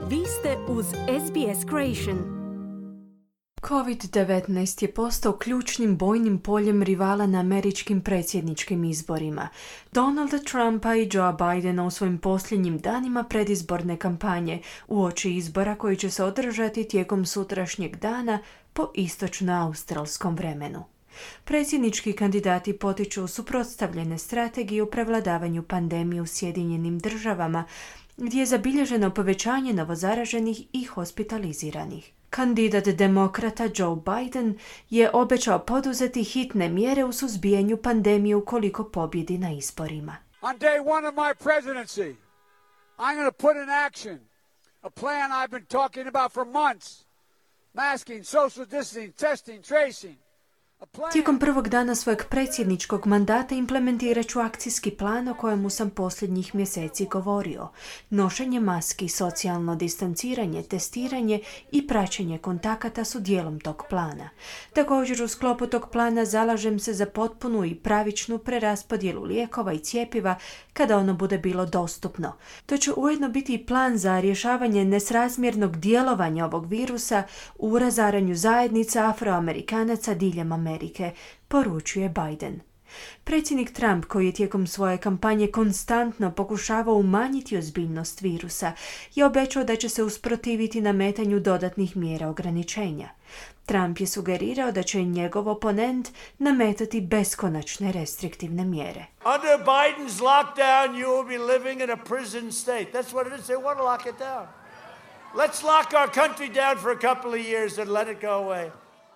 Vi ste uz SBS Creation. COVID-19 je postao ključnim bojnim poljem rivala na američkim predsjedničkim izborima. Donalda Trumpa i Joea Bidena u svojim posljednjim danima predizborne kampanje uoči izbora koji će se održati tijekom sutrašnjeg dana po istočno-australskom vremenu. Predsjednički kandidati potiču suprotstavljene strategije u prevladavanju pandemije u Sjedinjenim Državama, gdje je zabilježeno povećanje novozaraženih i hospitaliziranih. Kandidat demokrata Joe Biden je obećao poduzeti hitne mjere u suzbijanju pandemije ukoliko pobjedi na izborima. On day one of my presidency, I'm going to put in action a plan I've been talking about for months. Masking, social distancing, testing, tracing. Tijekom prvog dana svojeg predsjedničkog mandata implementirat ću akcijski plan o kojemu sam posljednjih mjeseci govorio. Nošenje maski, socijalno distanciranje, testiranje i praćenje kontakata su dijelom tog plana. Također u sklopu tog plana zalažem se za potpunu i pravičnu preraspodjelu lijekova i cjepiva kada ono bude bilo dostupno. To će ujedno biti i plan za rješavanje nesrazmjernog djelovanja ovog virusa u razaranju zajednica Afroamerikanaca diljem Amerike, poručuje Biden. Predsjednik Trump, koji je tijekom svoje kampanje konstantno pokušavao umanjiti ozbiljnost virusa, je obećao da će se usprotiviti nametanju dodatnih mjera ograničenja. Trump je sugerirao da će njegov oponent nametati beskonačne restriktivne mjere. Under Biden's lockdown, you will be living in a prison state. That's what it is. They want to lock it down. Let's lock our country down for a couple of years and let it go away.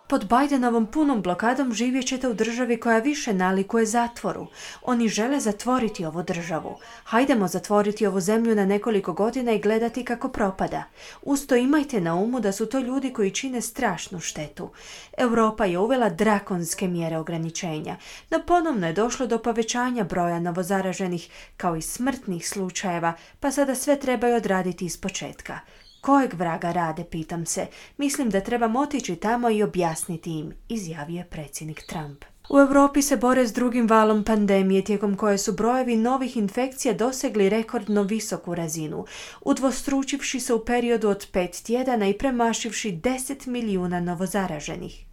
Pod Bidenovom punom blokadom živjet ćete u državi koja više nalikuje zatvoru. Oni žele zatvoriti ovu državu. Hajdemo zatvoriti ovu zemlju na nekoliko godina i gledati kako propada. Uz to imajte na umu da su to ljudi koji čine strašnu štetu. Europa je uvela drakonske mjere ograničenja, no ponovno je došlo do povećanja broja novozaraženih kao i smrtnih slučajeva, pa sada sve trebaju odraditi ispočetka. Kojeg vraga rade, pitam se. Mislim da trebam otići tamo i objasniti im, izjavio je predsjednik Trump. U Europi se bore s drugim valom pandemije tijekom koje su brojevi novih infekcija dosegli rekordno visoku razinu, udvostručivši se u periodu od 5 tjedana i premašivši 10 milijuna novozaraženih.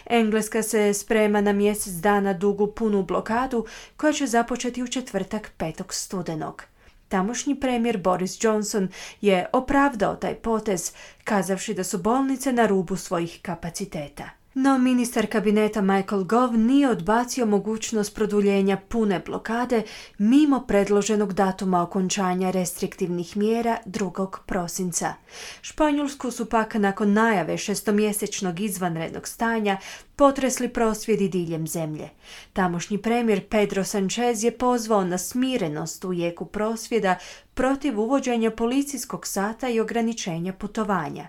Engleska se sprema na mjesec dana dugu punu blokadu koja će započeti u četvrtak 5. studenog. Tamošnji premijer Boris Johnson je opravdao taj potez, kazavši da su bolnice na rubu svojih kapaciteta. No ministar kabineta Michael Gove nije odbacio mogućnost produljenja pune blokade mimo predloženog datuma okončanja restriktivnih mjera 2. prosinca. Španjolsku su pak nakon najave šestomjesečnog izvanrednog stanja potresli prosvjedi diljem zemlje. Tamošnji premijer Pedro Sanchez je pozvao na smirenost u jeku prosvjeda protiv uvođenja policijskog sata i ograničenja putovanja.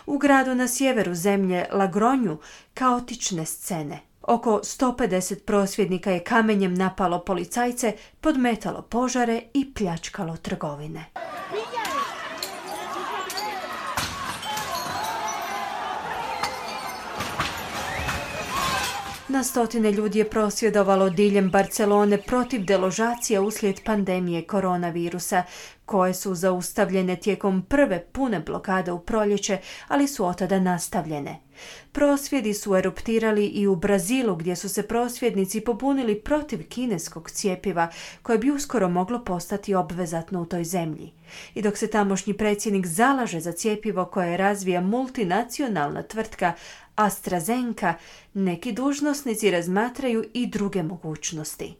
U gradu na sjeveru zemlje Lagronju kaotične scene. Oko 150 prosvjednika je kamenjem napalo policajce, podmetalo požare i pljačkalo trgovine. Na stotine ljudi je prosvjedovalo diljem Barcelone protiv deložacija uslijed pandemije koronavirusa, koje su zaustavljene tijekom prve pune blokade u proljeće, ali su otada nastavljene. Prosvjedi su eruptirali i u Brazilu, gdje su se prosvjednici pobunili protiv kineskog cjepiva, koje bi uskoro moglo postati obvezatno u toj zemlji. I dok se tamošnji predsjednik zalaže za cjepivo koje razvija multinacionalna tvrtka AstraZeneca, neki dužnosnici razmatraju i druge mogućnosti.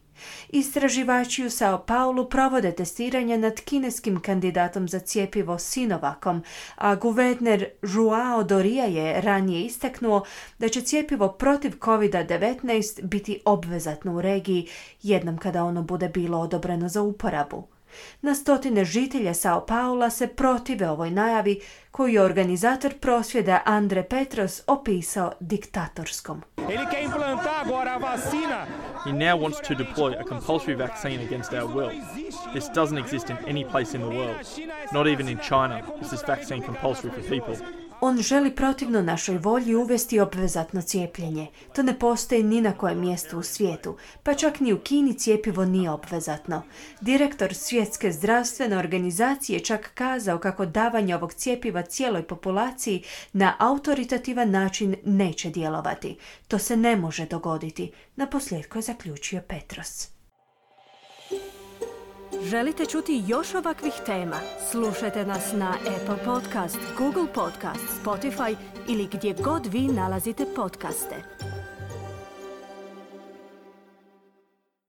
Istraživači u Sao Paulu provode testiranja nad kineskim kandidatom za cjepivo Sinovacom, a guverner Joao Doria je ranije istaknuo da će cjepivo protiv COVID-19 biti obvezatno u regiji jednom kada ono bude bilo odobreno za uporabu. Na stotine žitelja Sao Paula se protive ovoj najavi koju je organizator prosvjeda Andre Petros opisao diktatorskom. He now wants to deploy a compulsory vaccine against our will. This doesn't exist in any place in the world. Not even in China is this vaccine compulsory for people. On želi protivno našoj volji uvesti obvezatno cijepljenje. To ne postoji ni na kojem mjestu u svijetu, pa čak ni u Kini cjepivo nije obvezatno. Direktor Svjetske zdravstvene organizacije čak kazao kako davanje ovog cjepiva cijeloj populaciji na autoritativan način neće djelovati. To se ne može dogoditi, naposljetku je zaključio Petros. Želite čuti još ovakvih tema? Slušajte nas na Apple Podcast, Google Podcast, Spotify ili gdje god vi nalazite podcaste.